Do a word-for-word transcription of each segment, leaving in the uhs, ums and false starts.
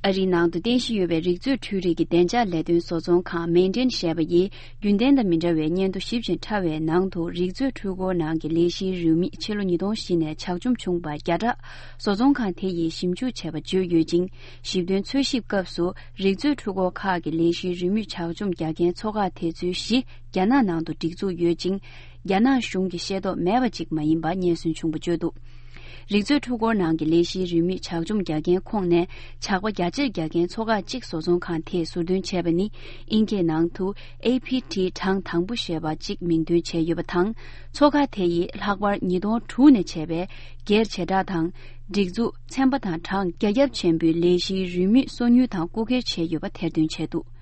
ཨ་རིའི་ནང་དུ་རྟེན་གཞི་ཡོད་པའི་རིག་མཛོད་འཕྲུལ་རིག་གི་བདེ་འཇགས་ལས་དོན་བཟོ་ཚོང་ཁང་མེན་ཏྲེན་ཞེས་པ་ཡིས་རྒྱུན་ལྡན་དང་མི་འདྲ་བའི་སྙན་ཐོ་ཞིབ་ཅིང་ཕྲ་བའི་ནང་དུ། རིག་མཛོད་འཕྲུལ་འཁོར་ནང་གི་ལས་གཞིའི་རིན་མེད་ཕྱི་ལོ་ཉིས་སྟོང་བཞི་ནས་ཇག་བཅོམ་བྱུང་བ་བརྒྱ་ཕྲག་བཟོ་ཚོང་ཁང་དེ་ཡིས་ཞིབ་འཇུག་བྱས་པ་བརྗོད་ཡོད་ཅིང་། ཞིབ་དོན་འཚོལ་ཞིབ་སྐབས་སུ། རིག་མཛོད་འཕྲུལ་འཁོར་ཁག་གི་ལས་གཞིའི་རིན་མེད་ཇག་བཅོམ་རྒྱག་མཁན་ཚོ་ཁག་དེ་ཚོའི་བཞི་རྒྱ་ནག་ནང་དུ་སྒྲིག་འཛུགས་ཡོད་ཅིང་། རྒྱ་ནག་གཞུང་གིས་ཤེས་རྟོགས་མེད་པ་ཅིག་མ་ཡིན་པ་སྙན་སེང་བྱུང་བ་བརྗོད་འདུག། རིག་མཛོད་འཕྲུལ་འཁོར་ནང་གི་ལས་གཞིའི་རིན་མེད་ཇག་བཅོམ་རྒྱག་མཁན་ཁོངས་ནས་ཇག་པ་རྒྱ་ཆེར་རྒྱག་མཁན་ཚོ་ཁག་གཅིག་བཟོ་ཚོང་ཁང་དེས་ཟུར་འདོན་བྱས་པ་ནི། ཨིན་སྐད་ནང་དུ་ཨེ་ཕི་ཊི་གྲངས་དང་པོ་ཞེས་པ་གཅིག་མིང་འདོན་བྱས་ཡོད་པ་དང་། ཚོ་ཁག་དེ་ཡིས་ལྷག་པར་ཉིས་སྟོང་དྲུག་ནས་བྱས་པའི་སྒེར་བྱེ་བྲག་དང་། སྒྲིག་འཛུགས་ཚན་པ་དང་གྲངས་རྒྱ་ཁྱབ་ཆེན་པོའི་ལས་གཞིའི་རིན་མེད་སོ་ཉུལ་དང་རྐུ་འཁྱེར་བྱས་ཡོད་པ་ཐེར་འདོན་བྱས་འདུག།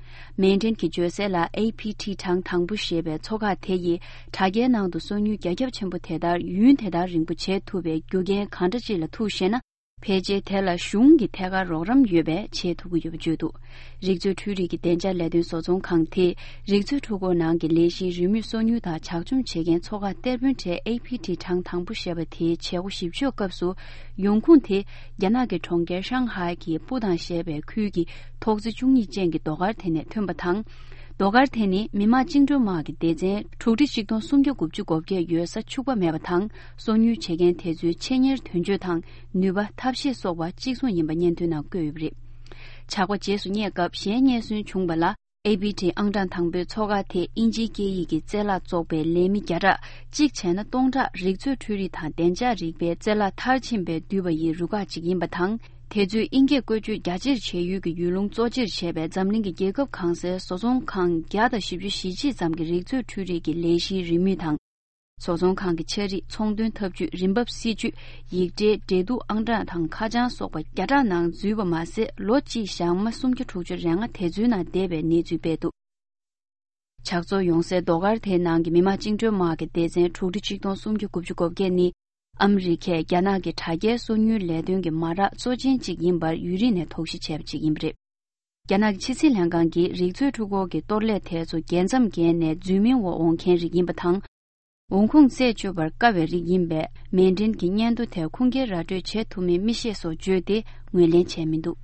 མེན་ཏྲེན་གྱིས་བརྗོད་གསལ་ལ། ཨེ་ཕི་ཊི་གྲངས་དང་པོ་ཞེས་པའི་ཚོ་ཁག་དེ་ཡིས་དྲ་རྒྱའི་ནང་དུ་སོ་ཉུལ་རྒྱ་ཁྱབ་ཆེན་པོ་དེ་ལྟར་ཡུན་དེ་ལྟར་རིང་པོ་བྱེད་ཐུབ་པའི་རྒྱུ་རྐྱེན་གང་འདྲ་ཅིག་ལ་ཐུག་ཞེ་ན། ཕལ་ཆེར་དེ་ལ་གཞུང་གི་ཐད་ཀར་རོགས་རམ་ཡོད་པས་བྱེད་ཐུབ་ཀྱི་ཡོད་པ་བརྗོད་འདུག། རིག་མཛོད་འཕྲུལ་རིག་གི་བདེ་འཇགས་ལས་དོན་བཟོ་ཚོང་ཁང་དེས་རིག་མཛོད་འཕྲུལ་འཁོར་ནང་གི་ལས་གཞིའི་རིན་མེད་སོ་ཉུལ་དང་ཇག་བཅོམ་བྱེད་མཁན་ཚོ་ཁག་གཏེར་དཔོན་གྲས་ཨེ་ཕི་ཊི་གྲངས་དང་པོ་ཞེས་པ་དེའི་བྱེད་སྒོ་ཞིབ་དཔྱོད་སྐབས་སུ། ཡོང་ཁུངས་དེ་རྒྱ་ནག་གི་གྲོང་ཁྱེར་ཧྲང་ཧའེ་གི་པུ་ཏང་ཞེས་པའི་ཁུལ་གྱི་ཐོག་བརྩེགས་བཅུ་གཉིས་ཅན་གྱི་རྡོ་མཁར་དེ་ནས་ཐོན་པ་དང་། རྡོ་མཁར་དེ་ནི་མི་དམངས་བཅིངས་འགྲོལ་དམག་གི་སྡེ་ཚན་དྲུག་ཁྲི་ཆིག་སྟོང་སུམ་བརྒྱ་དགུ་བཅུ་གོ་བརྒྱད་ཡོད་ས་ཕྱུག་པ་མེད་པ་དང་། སོ་ཉུལ་བྱེད་མཁན་དེ་ཚོའི་ཆེད་གཉེར་དོན་བརྗོད་དང་ནུས་པ་ཐབས་ཤེས་སོགས་པ་གཅིག་མཚུངས་ཡིན་པ་སྙན་ཐོའི་ནང་བཀོད་ཡོད་པ་རེད། ཇག་པ་རྗེས་སུ་སྙེག་སྐབས་གཞན་སྙན་སེང་བྱུང་བ་ལ། ཨེ་ཕི་ཊི་ཨང་གྲངས་དང་པོའི་ཚོ་ཁག་དེས་དབྱིན་ཇིའི་སྐད་ཡིག་གི་རྩལ་ལག་བཙོག་པའི་ལས་མི་བརྒྱ་ཕྲག་གཅིག་བྱས་ན་སྟོང་ཕྲག་རིག་མཛོད་འཕྲུལ་རིག་དང་བདེ་འཇགས་རིག་པའི་རྩལ་ལག་མཐར་ཕྱིན་པའི་འདུས་པ་ཡི་རུ་ཁག་ཅིག་ཡིན་པ་དང་། དེ་ཚོས་དབྱིན་སྐད་བཀོལ་སྤྱོད་རྒྱ་ཆེར་བྱེད་ཡུལ་གྱི་ཡུལ་ལུང་གཙོ་ཆེར་བྱས་པའི་འཛམ་གླིང་གི་རྒྱལ་ཁབ་གང་སའི་བཟོ་ཚོང་ཁང་བརྒྱ་དང་བཞི་བཅུ་ཞེ་གཅིག་ཙམ་གྱི་རིག་མཛོད་འཕྲུལ་རིག་གི་ལས་གཞིའི་རིན་མེད་དང་། བཟོ་ཚོང་ཁང་གི་ཕྱག་བྲིས། ཚོང་དོན་ཐབས་ཇུས། རིན་འབབ་སྲིད་ཇུས། ཡིག་ཕྲའི་འབྲེལ་གཏུག་ཨང་གྲངས་དང་ཁ་བྱང་སོགས་པ་བརྒྱ་ཕྲག་ནང་འཛུལ་བ་མ་ཟད། ལོ་གཅིག་བཞག་མ་སུམ་བརྒྱ་དྲུག་ཅུ་རེ་ལྔ་དེ་ཚོའི་ནང་བསྡད་པའི་གནས་ཚུལ་སྤེལ་འདུག། ཇག་ཚོགས་ཡོང་སའི་རྡོ་མཁར་དེའི་ནང་གི་མི་དམངས་བཅིངས་འགྲོལ་དམག་གི་སྡེ་ཚན་དྲུག་ཁྲི་ཆིག་སྟོང་སུམ་བརྒྱ་དགུ་བཅུ་གོ་བརྒྱད་ནི། ཨ་མི་རི་ཁས་རྒྱ་ནག་གི་དྲ་རྒྱའི་སོ་ཉུལ་ལས་དོན་གྱི་མ་རག་གཙོ་ཆེན་གཅིག་ཡིན་པར་ཡུན་རིང་ནས་དོགས་གཞི་བྱས་པ་ཅིག་ཡིན་པ་རེད། རྒྱ་ནག་གི་ཕྱི་སྲིད་ལྷན་ཁང་གིས་རིག་མཛོད་འཕྲུལ་འཁོར་གྱི་གཏོར་ལས་དེ་ཚོ་རྒྱལ་མཚམས་བརྒལ་ནས་རྫུན་མའི་འོག་འོང་མཁན་རིགས་ཡིན་པ་དང་། འོང་ཁུངས་རྩད་གཅོད་པར་དཀའ་བའི་རིགས་ཡིན་པས། མེན་ཏྲིན་གྱི་སྙན་ཐོ་དེ་ཁུངས་སྐྱེལ་ར་སྤྲོད་བྱེད་ཐུབ་མིན་མི་ཤེས་སོགས་བརྗོད་དེ་ངོས་ལེན་བྱས་མི་འདུག།